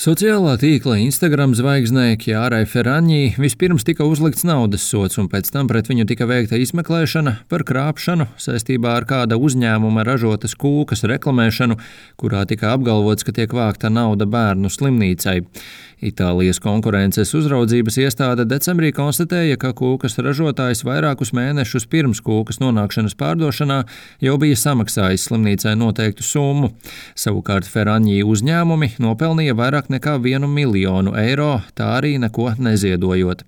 Sociālā tīkla Instagram zvaigznei Kjārai Ferraņī vispirms tika uzlikts naudas sods, un pēc tam pret viņu tika veikta izmeklēšana par krāpšanu saistībā ar kāda uzņēmuma ražotas kūkas reklamēšanu, kurā tika apgalvots, ka tiek vākta nauda bērnu slimnīcai. Itālijas konkurences uzraudzības iestāde decembrī konstatēja, ka kūkas ražotājs vairākus mēnešus pirms kūkas nonākšanas pārdošanā jau bija samaksājis slimnīcai noteiktu summu. Savukārt Ferraņī uzņēmumi nopelnīja vairāk nekā 1 miljonu eiro, tā arī neko neziedojot.